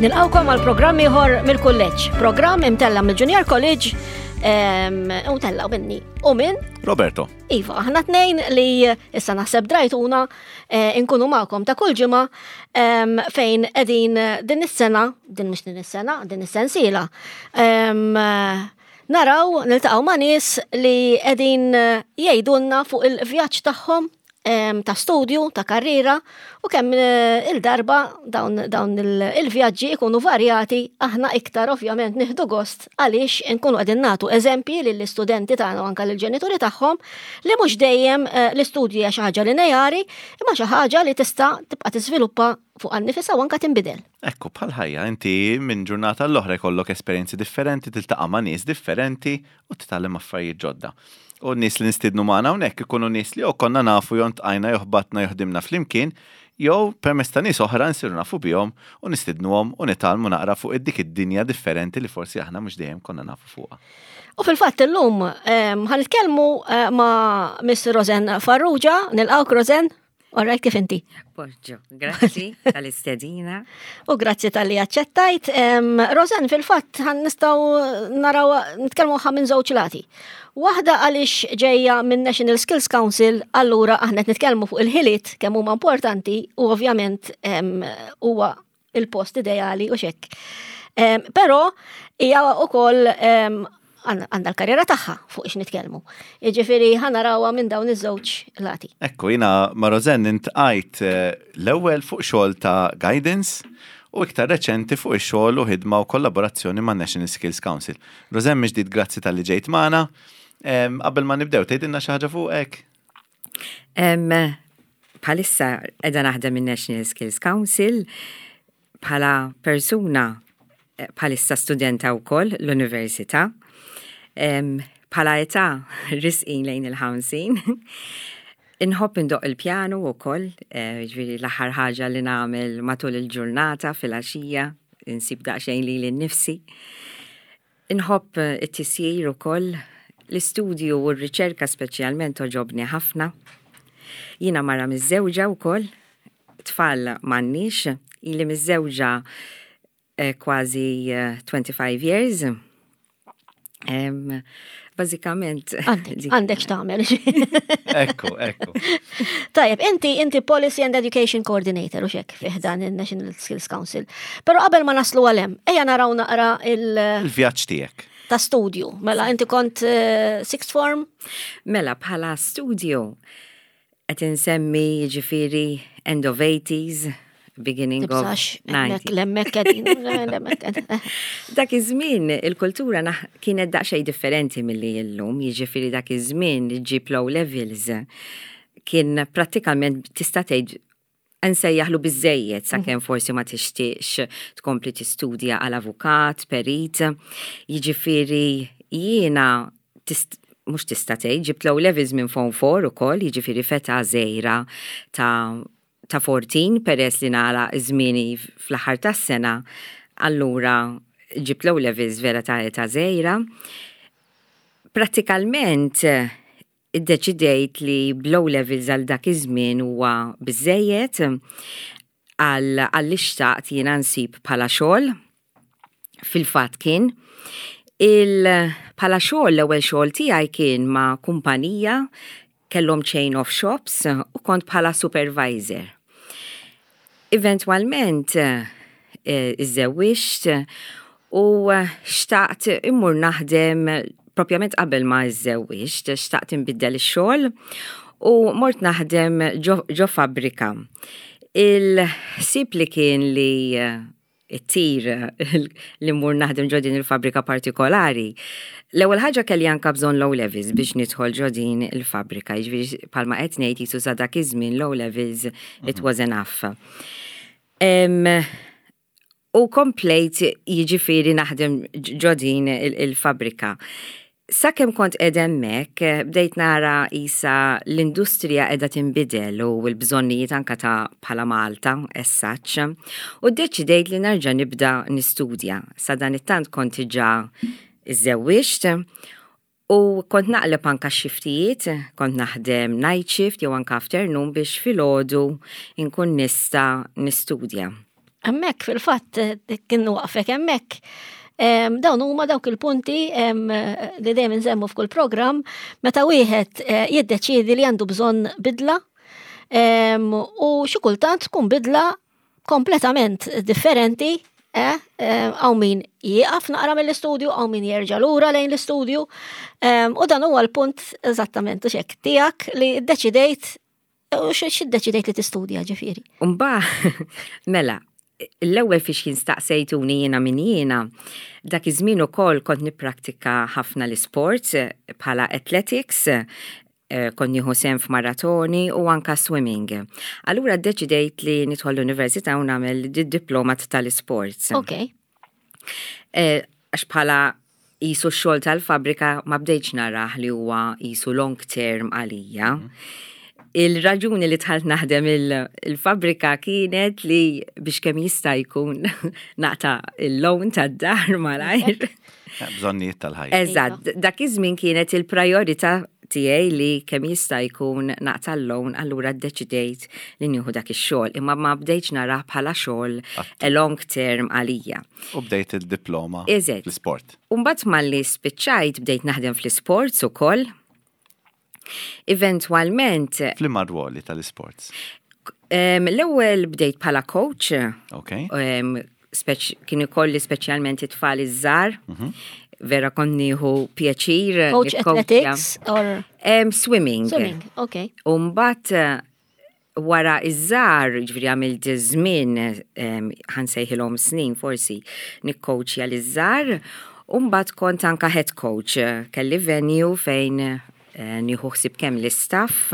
Nilqawkom għal programm ieħor mill-kulleġġ, programm imtella mill-Junior College u tella minni u minn Roberto. Iva, aħna tnejn li issa naħseb drajtuna eh, inkunu magħkom ta' kull ġimgħa fejn qegħdin din is-sena, din mhux din is-sena, din is-sensiela. Naraw, niltaqgħu ma' nies li qegħdin jgħidulna fuq il-vjaġġ tagħhom ta' studju, ta' karriera u kemm eh, il-darba dawn, dawn il-vjaġġi ikunu varjati aħna iktar ovvjament nieħdu gost għaliex nkunu qegħdin nagħtu eżempji lill-istudenti tagħna u anke lill-ġenituri tagħhom li mhux dejjem eh, l-istudju hija xi ħaġa lineari imma xi ħaġa li tista' tibqa' tiżviluppa fuq nifisha u anke tinbidel. Ekku, bħal ħajja, inti minn ġurnata l-oħra jkollok esperjenzi differenti, tiltaqa' ma' nies differenti u titgħallem affarijiet ġodda. U n-nies li nistiednu magħna hawnhekk ikunu nies li jew konna nafu jew ntqajna jew ħbatna jew ħdimna flimkien, jew permezz ta' nies oħra nsiru nafu bihom u nistidnuhom u nitgħallmu naqra fuq dik id-dinja differenti li forsi aħna mhux dejjem konna nafu fuqha. U fil-fatt illum ehm, ħa nitkellmu eh, ma' Miss Rosen Farrugia, nilqgħuk Rosen. All right, kif inti? Poġġo, grazzi tal-istedina. U grazzi tal-li aċċettajt. Rosan, fil-fatt, ħan nistaw naraw, nitkellmu ħa minn żewġ lati. Waħda għaliex ġejja minn National Skills Council, allura aħna qed nitkellmu fuq il-ħiliet kemm huma importanti u ovvjament huwa il-post ideali u xekk. Però hija wkoll għandha l-karriera tagħha fuq ix nitkellmu. Jiġifieri ħa narawha minn dawn iż-żewġ lati. Ekku, jiena ma' Rosanne intqajt eh, l-ewwel fuq xogħol ta' guidance u iktar reċenti fuq ix-xogħol u ħidma u kollaborazzjoni ma' National Skills Council. Rosanne miġdid grazzi tal-li ġejt magħna. Qabel ma nibdew, tgħidilna xi ħaġa fuqek? Bħalissa qiegħda naħdem in-National Skills Council bħala persuna eh, bħalissa studenta wkoll l-università. Bħala età risqin lejn il-50. Inħobb indoq il-pjanu wkoll, eh, ġifieri l-aħħar ħaġa li nagħmel matul il-ġurnata fil-għaxija, insib daqsxejn lili nnifsi. Inħobb it-tisjir ukoll, l-istudju u r-riċerka speċjalment togħġobni ħafna. Jiena mara miżżewġa wkoll, tfal m'għandniex, ili miżżewġa eh, kważi 25 eh, years. Bażikament. Għandek x'tagħmel. Ekku, ekku. Tajjeb, inti inti Policy and Education Coordinator u xek fih dan il-National Skills Council. Però qabel ma naslu għalem, ejja naraw naqra il- Il-vjaġġ tiegħek. Ta' studju. Mela inti kont eh, sixth form? Mela bħala studju Qed insemmi jiġifieri end of 80s, beginning of 90s. L-emmek qegħdin, l-emmek qegħdin. Dak iż-żmien il-kultura kienet daqsxejn differenti milli illum, jiġifieri dak iż-żmien ġġib l-O levels kien prattikament tista' tgħid nsejjaħlu biżżejjed sakemm mhm. forsi ma tixtieqx tkompli tistudja għal avukat, perit. Jiġifieri jiena mhux tista' tgħid ġibt l levels minn Form 4 ukoll, jiġifieri feta żgħira ta' ta' 14 peress li nagħlaq żmieni fl-aħħar tas-sena, allura ġibt l levels vera ta' età żgħira. Prattikalment iddeċidejt li bl-O levels għal dak iż-żmien huwa biżejjed għal li xtaqt jiena nsib bħala xogħol. Fil-fatt kien il bħala xogħol l-ewwel xogħol tiegħi kien ma' kumpanija kellhom chain of shops u kont bħala supervisor. Eventwalment eh, iżżewwiġt u xtaqt immur naħdem propjament qabel ma iżżewwiġt, xtaqt inbiddel ix-xogħol u mort naħdem ġo fabbrika. Il-ħsieb li kien li it-tir li mmur naħdem ġo din il-fabbrika partikolari. L-ewwel ħaġa kelli anka bżonn low levels biex nidħol ġo din il-fabbrika, jiġifieri palma qed ngħid jisu sa dak iż-żmien low levels it mhm. was enough. U komplejt jiġifieri naħdem ġo din il-fabbrika. Sakemm kont qiegħda hemmhekk, bdejt nara qisha l-industrija qiegħda tinbidel u l-bżonnijiet anke ta' bħala Malta as such, u ddeċidejt li nerġa' nibda nistudja. Sadanittant kont diġà iżżewwiġt u kont naqleb anke x-xiftijiet, kont naħdem night shift jew anke afternoon biex filgħodu nkun nista' nistudja. Hemmhekk fil-fatt kien waqfek hemmhekk. Dawn huma dawk il-punti li dejjem insemmu f'kull programm meta wieħed eh, jiddeċiedi li għandu bżonn bidla u xi kultant tkun bidla kompletament differenti eh, hawn min jieqaf naqra mill-istudju, hawn min jerġa' lura lejn l-istudju. U dan huwa l-punt eżattament u xek tiegħek li ddeċidejt U x'iddeċidejt li tistudja ġifieri? Umba, mela, l-ewwel fiex kien staqsejtuni jiena min jiena, dak iż-żmien ukoll kont nipprattika ħafna l-isports bħala athletics, eh, kont nieħu sehem f'maratoni u anka swimming. Allura ddeċidejt li nidħol l-università u nagħmel diploma tal-isports. Ok. Eh, għax bħala qisu x-xogħol tal-fabbrika ma bdejtx narah li huwa qisu long term għalija. Mhm. Il-raġuni li dħalt naħdem il-fabbrika kienet li biex kemm jista' jkun naqta' il-loan tad-dar malajr. Bżonnijiet tal-ħajja. Eżatt, dak iż-żmien kienet il-priorità tiegħi li kemm jista' jkun naqta' l-loan allura ddeċidejt li nieħu dak ix-xogħol imma ma bdejtx narah bħala xogħol a long term għalija. U bdejt il-diploma fl-isport. U mbagħad malli spiċċajt bdejt naħdem fl-isports ukoll. Eventwalment. F'liema rwoli tal-isports? L-ewwel bdejt bħala coach. Ok. Kien ikolli speċjalment it-tfal iż-żgħar. Mhm. Vera kont nieħu pjaċir. Coach athletics or? Swimming. Swimming, ok. U mbagħad wara iż-żgħar, ġifieri għamilt żmien ħansejħilhom snin forsi nikkowċja liż-żgħar, u mbagħad kont anka head coach, kelli venue fejn eh, nieħu ħsieb kemm l-istaff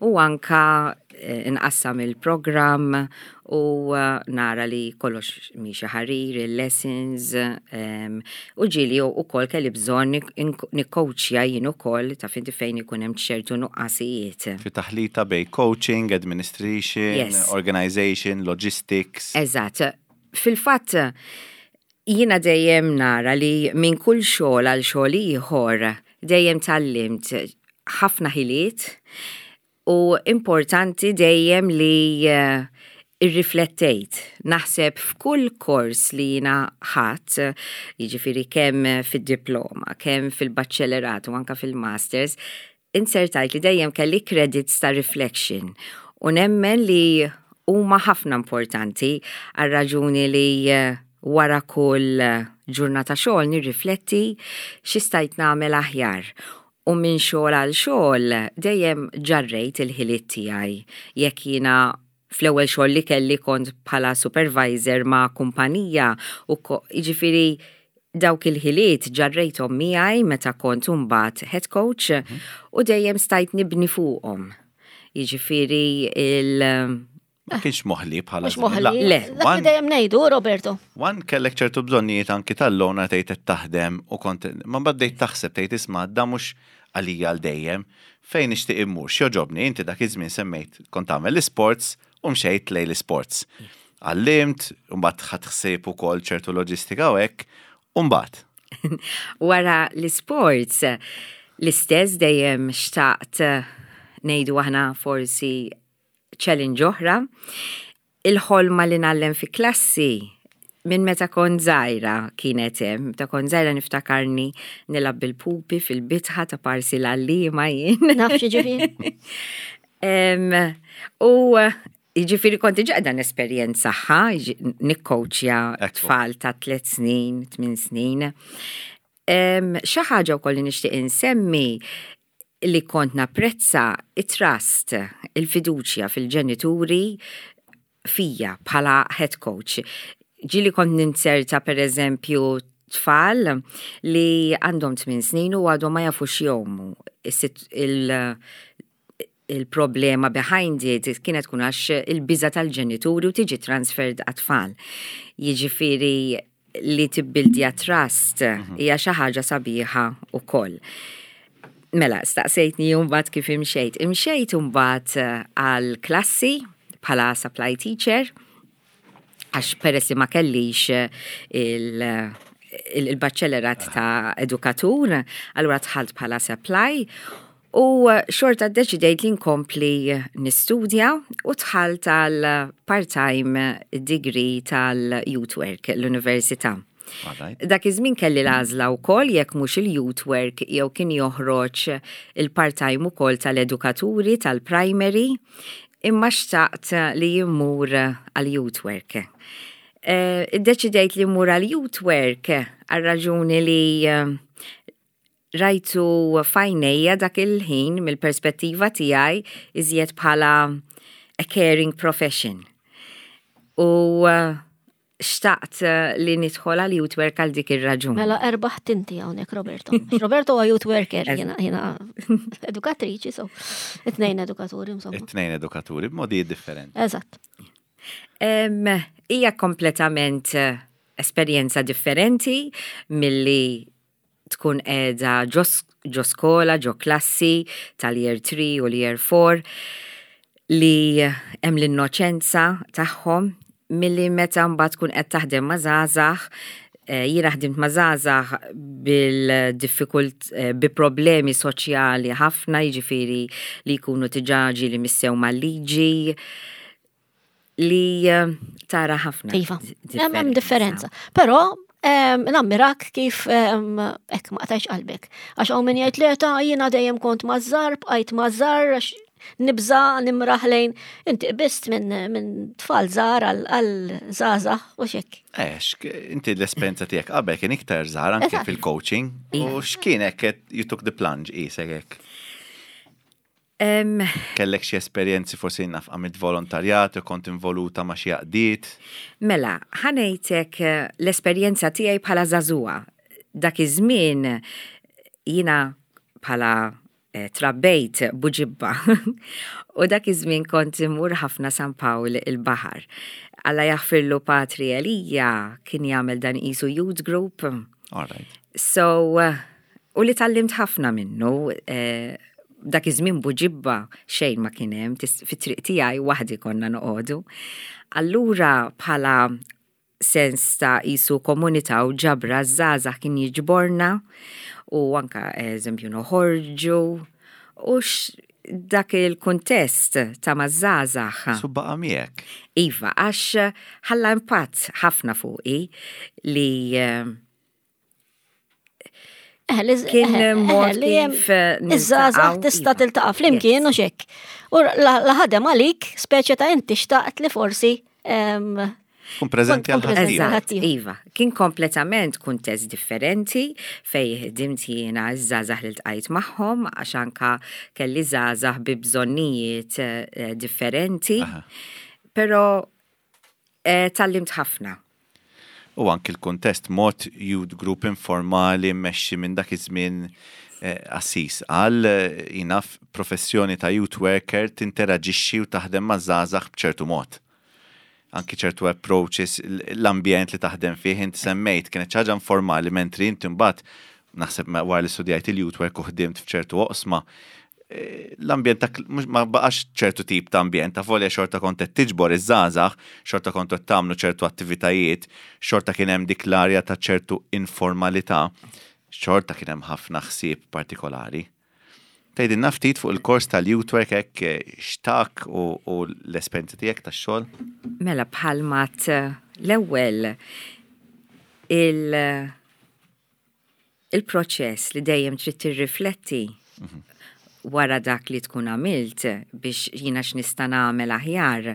u anka eh, nqassam il-programm u eh, nara li kollox miexi ħarir, il-lessons, u ġieli ukoll kelli bżonn nikkowċja jien ukoll ta' finti fejn ikun hemm ċertu nuqqasijiet. Fi taħlita bej coaching, administration, yes. organization, logistics. Eżatt. Fil-fatt, jiena dejjem nara li minn kull xogħol għal xogħol ieħor dejjem tgħallimt ħafna ħiliet U importanti dejjem li eh, irriflettejt. Naħseb f'kull kors li jina ħadd, jiġifieri kemm fid-diploma, kemm fil-baċċellerat u anka fil-masters, insertajt li dejjem kelli credits ta' reflection. U nemmen li huma ħafna importanti għal raġuni li eh, wara kull ġurnata xogħol nirrifletti xi stajt nagħmel aħjar. U minn xogħol għal xogħol dejjem ġarrejt il-ħiliet tiegħi. Jekk jiena fl-ewwel xogħol li kelli kont bħala supervisor ma' kumpanija u jiġifieri dawk il-ħiliet ġarrejthom miegħi meta kont imbagħad head coach mhm. u dejjem stajt nibni fuqhom. Jiġifieri il- Ma kienx moħli bħala. Mhux moħli. Le. Dak li dejjem ngħidu, Roberto. Wan kellek ċertu bżonnijiet anki tal-lona tgħid qed taħdem u kont ma bdejt taħseb tgħid isma' da mhux għalija għal dejjem. Fejn nixtieq immur, x'joġobni, inti dak iż-żmien semmejt kont tagħmel l-isports u mxejt lejn l-isports. Għallimt, u mbagħad ħadt ħsieb ukoll ċertu loġistika u hekk, u mbagħad. Wara l-isports, l-istess dejjem xtaqt ngħidu aħna forsi challenge oħra, il-ħolma li ngħallem fi klassi minn meta kont żgħira kienet hemm, meta kont żgħira niftakarni nilgħab bil-pupi fil-bitħa ta' parsi l-għalliema jien. Naf ġifieri. U jiġifieri kont diġà qiegħda nesperjenzaha, nikkowċja tfal ta' tliet snin, tmien snin. Xi ħaġa wkoll li nixtieq insemmi li kont napprezza it-trust, il-fiduċja fil-ġenituri fija bħala head coach. Ġieli kont ninzerta per eżempju tfal li għandhom 8 snin u għadhom ma jafux jgħumu. Il-problema behind it kienet tkun għax il-biża tal-ġenituri u tiġi transferred għat-tfal. Jiġifieri li tibbildja trust mhm. hija xi ħaġa sabiħa wkoll. Mela, staqsejtni mbagħad kif imxejt. Imxejt mbagħad eh, għal klassi bħala supply teacher għax peress li ma kellix eh, il-baċċellerat ta' edukatur, allura dħalt bħala supply. U xorta ddeċidejt li nkompli nistudja u dħalt għal part-time degree tal-youth work l-università. Dak iż-żmien kelli l-għażla wkoll jekk mhux il-youth work jew kien joħroġ il part-time ukoll tal-edukaturi tal-primary, imma xtaqt li mmur għal youth work. Iddeċidejt li mmur għal youth work għal raġuni li rajtu f'għajnejja dak il-ħin mill-perspettiva tiegħi iżjed bħala a caring profession. U xtaqt li nidħol għal youth work għal dik ir-raġun. Mela erbaħt inti hawnhekk Roberto. Roberto huwa youth worker, jiena jiena edukatriċi, so it-tnejn edukaturi insomma. It-tnejn edukaturi b'modi differenti. Eżatt. Hija kompletament esperjenza differenti milli tkun qiegħda ġo skola, ġo klassi tal-year 3 u l-year 4 li hemm l-innoċenza tagħhom milli meta mbagħad tkun qed taħdem ma' żgħażagħ. Jiena ħdimt ma' żgħażagħ bil-diffikult bi problemi soċjali ħafna, jiġifieri li jkunu diġà ġieli missew mal-liġi, li tara ħafna. Iva, hemm differenza. Però nammirak kif hekk ma qtajx qalbek. Għax hawn min jgħid li ta' jiena dejjem kont mażżar, bqajt mażżar, għax nibża nimraħ lejn inti qbist minn tfal żgħar għal żgħażagħ u xek. Ex, inti l-esperjenza tiegħek qabel kien iktar żgħar anke fil-coaching u x'kien hekk you took the plunge qisek hekk? Kellek xi esperjenzi forsi naf għamilt volontarjat u kont involuta ma' xi għaqdiet? Mela, ħa ngħidlek l-esperjenza tiegħi bħala żagħżugħa. Dak iż-żmien jiena bħala trabbejt Buġibba. U dak iż-żmien kont immur ħafna San Pawl il-Baħar. Alla jaħfirlu Patri Elija kien jagħmel dan qisu youth group. All right. So, u li tgħallimt ħafna minnu, dak iż-żmien Buġibba xejn ma kien hemm, fit-triq tiegħi waħdi konna noqogħdu. Allura bħala sens ta' qisu komunità u ġabra żgħażagħ kien jiġborna u anka eżempju noħorġu u dak il-kuntest ta' maż-żgħażagħ. Su baqa' miegħek. Iva, għax ħalla impatt ħafna fuqi li kien mod kif iż-żgħażagħ tista' tiltaqa' flimkien u xek. U la ħadem għalik, speċi ta' inti xtaqt li forsi Kun preżenti għal ħaddieħor. Iva, kien kompletament kuntest differenti fej ħdimt jiena ż-żgħażagħ li ltqajt magħhom għax anka kelli żgħażagħ bi bżonnijiet differenti. Però tgħallimt ħafna. U anki l-kuntest mod youth group informali mmexxi minn dak iż-żmien assis għal jinaf professjoni ta' youth worker tinteraġixxi u taħdem ma' żgħażagħ b'ċertu mod. Anki ċertu approaches, l-ambjent li taħdem fih, inti semmejt, kienet xi ħaġa informali, mentri inti mbagħad naħseb wara li studjajt il-youth work u ħdimt f'ċertu oqsma, l-ambjent ta' ma baqax ċertu tip ta' ambjent, ta' volja xorta kont qed tiġbor iż-żgħażagħ, xorta kont qed tagħmlu ċertu attivitajiet, xorta kien hemm dik l-arja ta' ċertu informalità, xorta kien hemm ħafna ħsieb partikolari. Tgħidilna ftit fuq il-kors tal-youth work hekk x'tak u l-esperjenza tiegħek tax-xogħol? Mela bħalma l-ewwel il-proċess li dejjem trid tirrifletti wara dak li tkun għamilt biex jiena x'nista' nagħmel aħjar.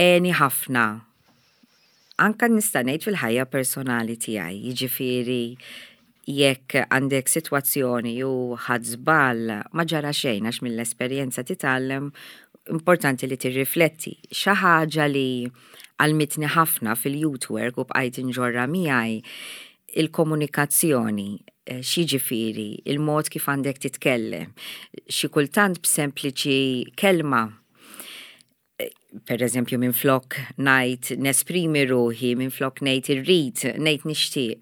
Għeni ħafna. Anka nista' ngħid fil-ħajja personali tiegħi, jiġifieri jekk għandek sitwazzjoni u ħadd żball ma ġara xejn għax mill-esperjenza titgħallem, importanti li tirrifletti. Xi ħaġa li għallmitni ħafna fil-youth work u bqajt inġorra miegħi il-komunikazzjoni, x'jiġifieri, il-mod kif għandek titkellem. Xi kultant b'sempliċi kelma, per eżempju minn flok ngħid nesprimi ruħi, minn flok ngħid irrid, ngħid nixtieq.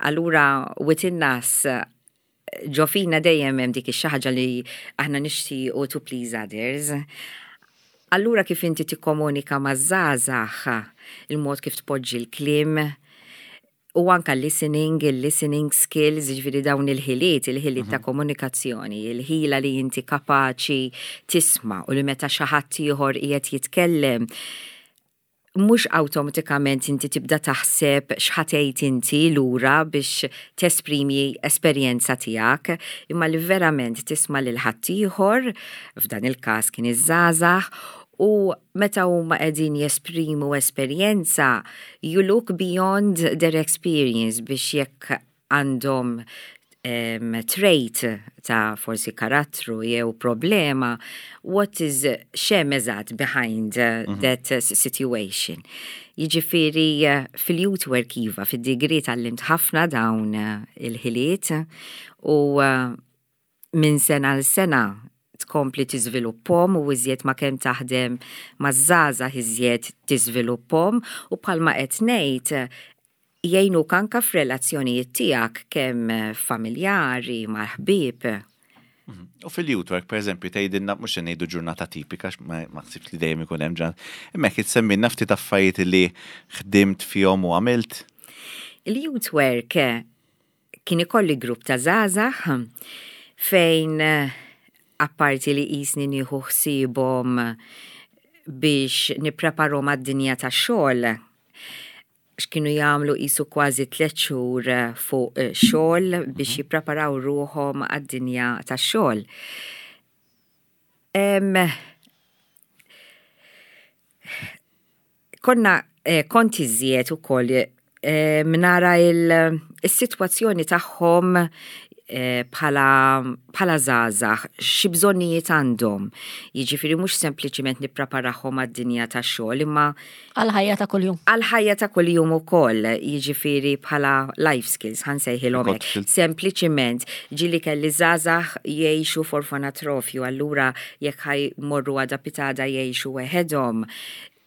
Allura within us ġo fina dejjem hemm dik ix-xi ħaġa li aħna nixtiequ to please others. Allura kif inti tikkomunika maż-żgħażagħ, il-mod kif tpoġġi l-kliem. U anka listening, il-listening skills, ġifieri dawn il-ħiliet, il-ħiliet ta' komunikazzjoni, il-ħila li inti kapaċi tisma' u li meta xi ħadd ieħor qiegħed jitkellem, mhux awtomatikament inti tibda taħseb x'ħa tgħid inti lura biex tesprimi esperjenza tiegħek, imma li verament tisma' lil ħaddieħor, f'dan il-każ kien iż-żgħażagħ, u meta huma qegħdin jesprimu esperjenza, you look beyond their experience biex jekk għandhom um, trait ta' forsi karattru jew problema, what is x'hemm eżatt behind that situation. Jiġifieri fil-youth work iva, fid-degree tgħallimt ħafna dawn il-ħiliet u minn sena għal sena tkompli tiżviluppahom u iżjed ma kemm taħdem maż-żgħażagħ iżjed tiżviluppahom u bħalma qed ngħid jgħinuk anka f'relazzjonijiet tiegħek kemm familjari mal-ħbieb. U fil-youth work, per eżempju, tgħidilna mhux se ngħidu ġurnata tipika, ma ħsibx li dejjem ikun hemm ġurnata. Imma jekk issemmilna ftit affarijiet li ħdimt fihom u għamilt. Il-youth work kien ikolli grupp ta' żgħażagħ fejn apparti li qisni nieħu ħsiebhom biex nippreparhom għad-dinja tax-xogħol, x'kienu jagħmlu qisu kważi tliet xhur fuq xogħol biex jippreparaw ruħhom għad-dinja tax-xogħol. Konna kont iżjed ukoll nara il-sitwazzjoni tagħhom bħala bħala żgħażagħ, xi bżonnijiet għandhom. Jiġifieri mhux sempliċiment nippreparahom għad-dinja tax-xogħol imma Għal-ħajja ta' kuljum. Għal-ħajja ta' kuljum ukoll, jiġifieri bħala life skills ħa nsejħilhom hekk. Sempliċiment ġieli kelli żgħażagħ jgħixu f'orfanatrofju, allura jekk ħa jmorru għada pitgħada jgħixu weħedhom,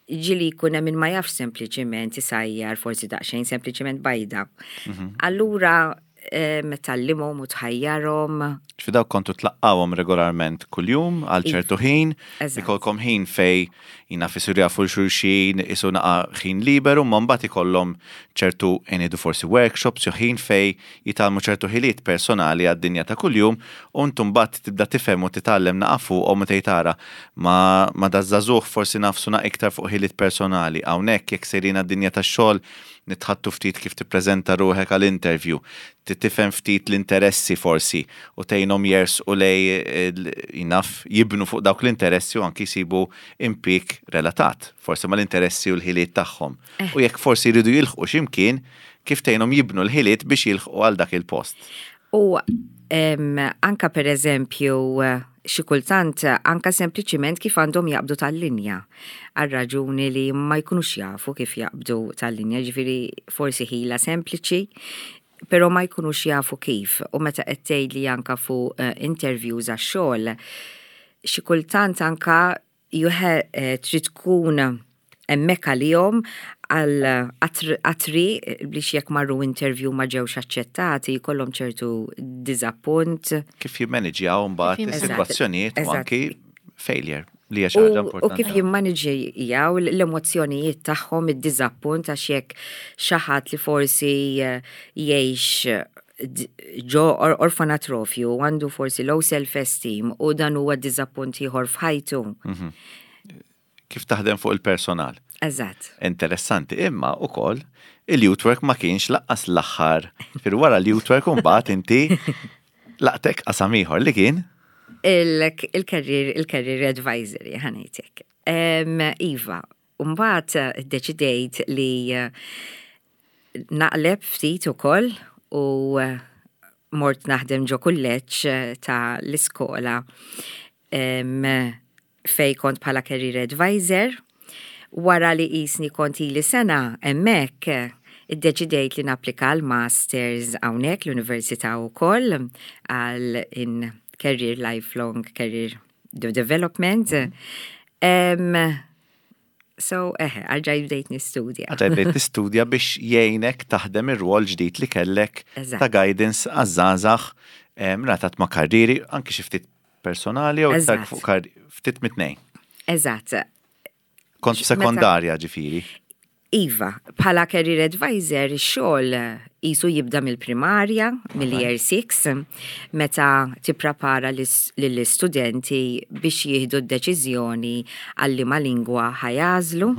ġieli jkun hemm min ma jafx sempliċiment isajjar forsi daqsxejn sempliċiment bajda. Allura tgħallimhom u tħajjarhom. Ġifieri dawk kontu tlaqqawhom regolarment kuljum għal ċertu ħin, ikolkom ħin fej jina fisir jafu xulxin, isu naqa ħin liberu, ma mbagħad ikollhom ċertu ngħidu forsi workshops jew ħin fej jitgħallmu ċertu ħiliet personali għad-dinja ta' kuljum u intu mbagħad tibda tifhem u titgħallem naqa fuqhom u tgħid tara ma ma daż-żagħżugħ forsi nafsu naqa iktar fuq ħiliet personali. Hawnhekk jekk sejrin għad-dinja tax-xogħol nitħattu ftit kif tippreżenta ruħek għal interview, tifhem ftit l-interessi forsi u tgħinhom jersqu lej jinaf jibnu fuq dawk l-interessi u anki jsibu impjieg relatat, forsi mal-interessi u l-ħiliet tagħhom. U jekk forsi jridu jilħqu x'imkien, kif tgħinhom jibnu l-ħiliet biex jilħqu għal dak il-post. U anka per eżempju, xi kultant anka sempliċiment kif għandhom jaqbdu tal-linja. Għal raġuni li ma jkunux jafu kif jaqbdu tal-linja, ġifieri forsi ħila sempliċi, pero ma jkunux jafu kif. U meta qed tgħidli anka fuq interviews għax-xogħol, xi kultant anka trid tkun hemmhekk għalihom għal għatri biex jekk marru interview ma ġewx aċċettati jkollhom ċertu diżappunt. Kif jimmaniġjaw mbagħad is-sitwazzjonijiet u anki failure li hija xi ħaġa importanti. U kif jimmaniġjaw l-emozzjonijiet tagħhom id-diżappunt għax jekk xi ħadd li forsi jgħix ġo orfanatrofju għandu forsi low self-esteem u dan huwa diżappunt ieħor f'ħajtu. Kif taħdem fuq il-personal. Eżatt. Interessanti, imma ukoll il-youth work ma kienx lanqas l-aħħar. Fir wara l-youth work mbagħad inti laqtek qasam ieħor li kien? Il-career il-career advisory ħa ngħidlek. Iva, mbagħad deċidejt li naqleb ftit ukoll u mort naħdem ġo kulleġġ ta' l-iskola fej kont bħala career advisor. Wara li qisni kont ili sena hemmhekk, iddeċidejt li napplika għal masters hawnhekk l-università wkoll għal in career lifelong career development. So, eħe, erġajt bdejt nistudja. Erġajt bdejt nistudja biex jgħinek taħdem ir-rwol ġdid li kellek ta' guidance għaż-żgħażagħ relatat ma' karriri, anki xi ftit personali u iktar fuq ftit mit-tnejn. Eżatt. Kont sekondarja ġifieri. Iva, bħala career advisor ix-xogħol qisu jibda mill-primarja, mill-year 6, meta tipprepara lill-istudenti biex jieħdu d-deċiżjoni għal liema lingwa ħa jagħżlu.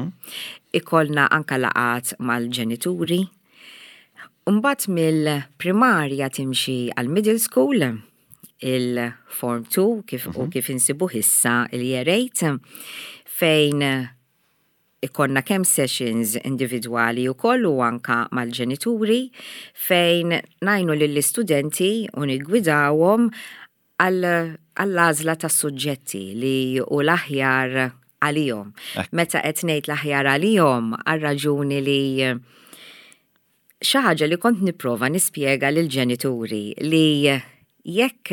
Ikollna anka laqgħat mal-ġenituri. Mbagħad mill-primarja timxi għal middle school, il-Form 2 kif u kif insibuh issa il-Year 8, fejn ikollna kemm sessions individwali u koll u anka mal-ġenituri fejn ngħinu lill-istudenti u nigwidawhom għall-għażla ta' suġġetti li u l-aħjar għalihom. Meta qed ngħid l-aħjar għalihom għal raġuni li xi ħaġa li kont nipprova nispjega lill-ġenituri li jekk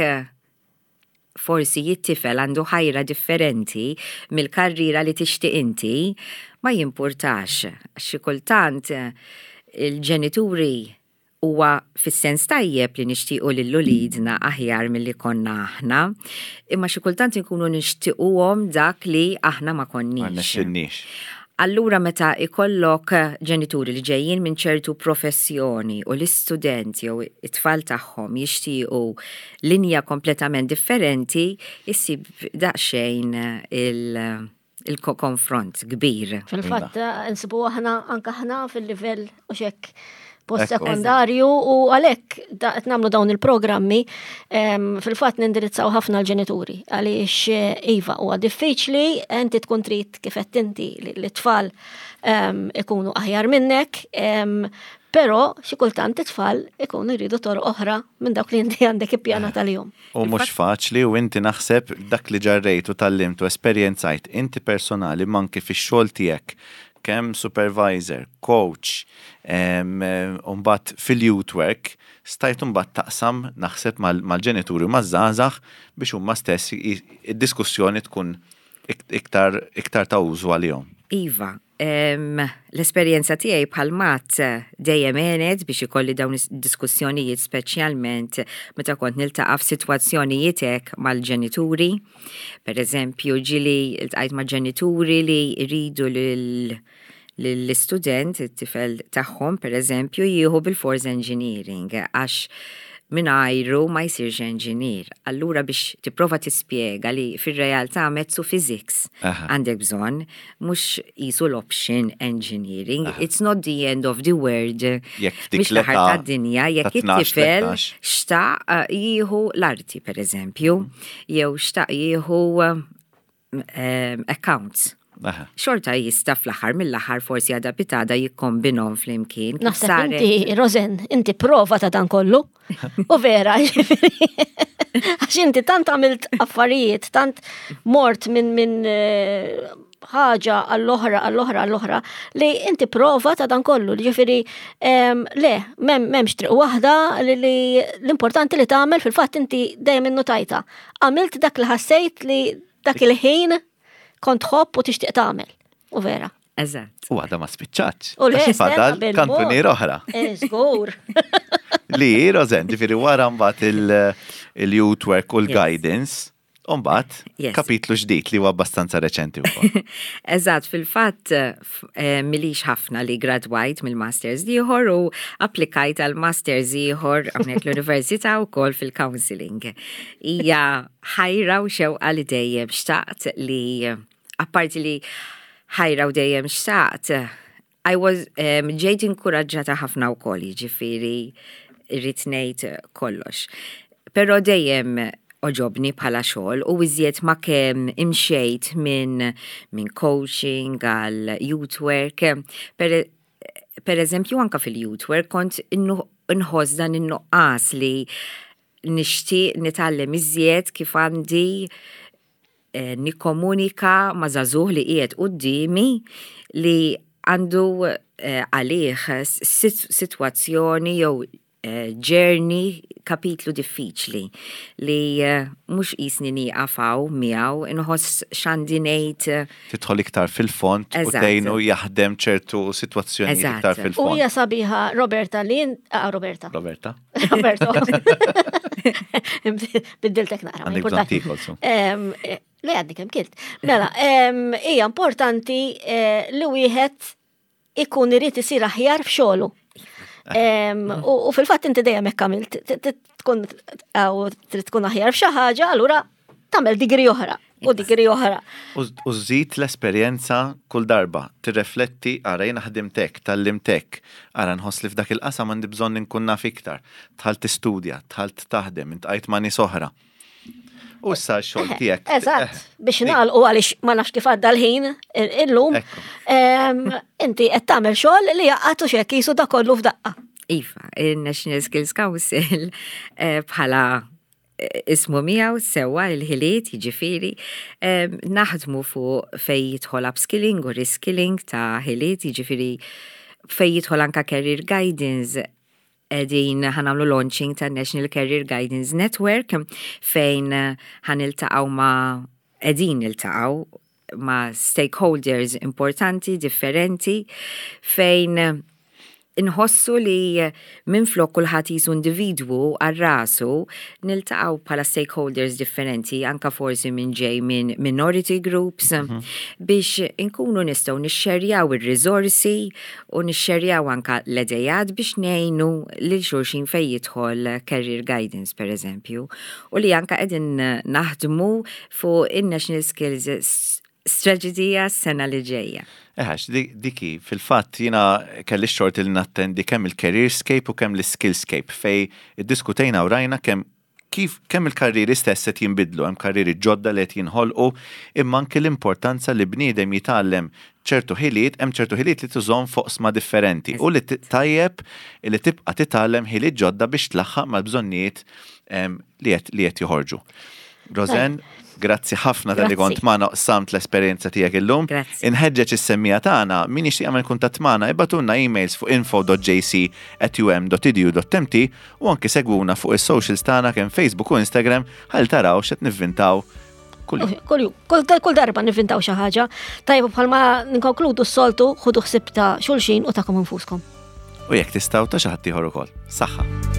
forsi it-tifel għandu ħajra differenti mill-karriera li tixtieq inti, ma jimpurtax. Xi kultant il-ġenituri huwa fis-sens tajjeb li nixtiequ lil uliedna aħjar milli konna aħna, imma xi kultant inkunu nixtiequhom dak li aħna ma Ma konniex. nexxinniex. Allura meta ikollok ġenituri li ġejjin minn ċertu professjoni u l-istudent jew it-tfal tagħhom jixtiequ linja kompletament differenti, issib daqsxejn il-konfront kbir. Fil-fatt, nsibu aħna anka aħna fil-livell u xek post-sekondarju u għalhekk qed nagħmlu dawn il-programmi fil-fatt nindirizzaw ħafna l-ġenituri għaliex iva huwa diffiċli inti tkun trid kif qed inti li l-tfal ikunu aħjar minnek, però xi kultant it-tfal ikunu jridu toroq oħra minn dawk li inti għandek ippjanat għalihom. U mhux faċli u inti naħseb dak li ġarrejt u tgħallimt u esperjenzajt inti personali manki fix-xogħol tiegħek kemm supervisor, coach, u mbagħad fil-youth work, stajt mbagħad taqsam naħseb mal-ġenituri u maż-żgħażagħ biex huma stess id-diskussjoni tkun iktar ta' użu għalihom. Iva, l-esperjenza tiegħi bħal mat dejjem għenet biex ikolli dawn is-diskussjonijiet speċjalment meta kont niltaqa' f'sitwazzjonijiet hekk mal-ġenituri. Per eżempju, ġieli ltqajt ma' ġenituri li jridu lill-istudent, it-tifel tagħhom, per eżempju, jieħu bil-force engineering għax mingħajru ma jsirx engineer. Allura biex tipprova tispjega li fir-realtà maths u physics għandek bżonn, mhux qisu l-option engineering. It's not the end of the world. Jekk dik Mhix l-aħħar l-età tad-dinja jekk ta' 12, it-tifel 13. xtaq jieħu l-arti, per eżempju, jew xtaq jieħu accounts. Xorta jista' fl-aħħar mill-aħħar forsi għada pitgħada jikkombinhom flimkien. Kif Naħseb saret inti, Rosen, inti prova ta' dan kollu. U vera, ġifieri. Għax inti tant għamilt affarijiet, tant mort minn ħaġa għall-oħra, għall-oħra, għall-oħra, li inti prova ta' dan kollu. Ġifieri, le, m'hemmx triq waħda li l-importanti li tagħmel fil-fatt inti dejjem innutajta. Għamilt dak li ħassejt li dak il-ħin kont tħobb u tixtieq tagħmel. U vera. Eżatt. U għadha ma spiċċatx. U le, Għax fadal stenna bil-mod. kantunier oħra. Żgur. Li, Rosen, ġifieri wara mbagħad il-youth work u l-guidance, u mbagħad kapitlu ġdid li huwa abbastanza reċenti wkoll. Eżatt, fil-fatt m'ilix ħafna li gradwajt mill-Masters ieħor u applikajt għal Masters ieħor hawnhekk l-Università wkoll fil-counseling. Hija ħajra u xewqa li dejjem xtaqt li, apparti li ħajra u dejjem xtaqt, I was ġejt inkuraġġata ħafna wkoll, jiġifieri irrid ngħid kollox. Però dejjem għoġobni bħala xogħol u iżjed ma kemm imxejt minn coaching għal youth work. Per eżempju, anka fil-youth work kont nħoss dan in-nuqqas li nixtieq nitgħallem iżjed kif għandi nikkomunika ma' żagħżugħ li qiegħed quddiemi li għandu għalih sitwazzjoni jew journey, kapitlu diffiċli li mhux qisni nieqaf hawn miegħu, inħoss x'għandi ngħid. Tidħol iktar fil-fond u tgħinu jaħdem ċertu sitwazzjonijiet iktar fil-fond. U hija sabiħa Roberta li Roberta. Roberta. Roberto. Biddiltek naqra, ma Għandek bżonn importanti. tiekol, su. Le għaddi kemm kilt. Mela, hija importanti li wieħed ikun irid isir aħjar f'xogħlu. U fil-fatt inti dejjem hekk għamilt, tkun trid tkun aħjar f'xi ħaġa, allura tagħmel digri oħra u digri oħra. U żżid l-esperjenza kull darba, tirrefletti ara jiena ħdimt hekk, tgħallimt hekk, ara nħoss li f'dak il-qasam għandi bżonn inkun naf iktar. Dħalt tistudja, dħalt taħdem, intqajt ma' nies oħra. U issa x-xogħol eh, tiegħek. Eżatt, eh, biex nagħlqu għaliex ma nafx kif għadda l-ħin illum. Inti qed tagħmel xogħol li jaqgħatu xek jisu da kollu f'daqqa. Iva, il-National Skills Council eh, bħala ismu miegħu sewwa il-ħiliet jiġifieri naħdmu fuq fej jidħol upskilling u reskilling ta' ħiliet jiġifieri fej jidħol anka career guidance qegħdin ħanamlu launching ta' National Career Guidance Network fejn ħaniltaqgħu ma' qegħdin niltaqgħu ma' stakeholders importanti, differenti, fejn inħossu li minflok kulħadd jisu individwu għal rasu niltaqgħu bħala stakeholders differenti anka forsi minn ġej minn minority groups mm -hmm. biex inkunu nistgħu nixxerjaw ir-riżorsi u nixxerjaw anka l-idejat biex ngħinu lil xulxin fejn jidħol career guidance per eżempju u li anka qegħdin naħdmu fuq in-National Skills Strategy s-sena li ġejja. Eħax, diki, fil-fatt jiena kelli x-xorti li nattendi kemm il-Careerscape u kemm l-Skillscape fej iddiskutejna u rajna kemm kif kemm il-karrieri stess qed jinbidlu, hemm karrieri ġodda li qed jinħolqu, imma anki l-importanza li bniedem jitgħallem ċertu ħiliet, hemm ċertu ħiliet li tużhom f'oqsma differenti u li tajjeb li tibqa' titgħallem ħiliet ġodda biex tlaħħaq mal-bżonnijiet li qed joħorġu. Rosen, grazzi ħafna tal-li kont magħna qsamt l-esperjenza tiegħek illum. Inħeġġeġ is-semmija tagħna min jixtieq jagħmel kuntatt magħna ibatunna emails fuq info.jc@um.edu.mt u anki segwuna fuq is-socials tagħna kemm Facebook u Instagram ħalli taraw x'qed nivvintaw kull Kull kull darba nivvintaw xi ħaġa. Tajjeb bħalma nkonkludu s-soltu ħudu ħsieb ta' xulxin u tagħkom infuskom. U jekk tistgħu ta' xi ħadd ieħor ukoll. Saħħa.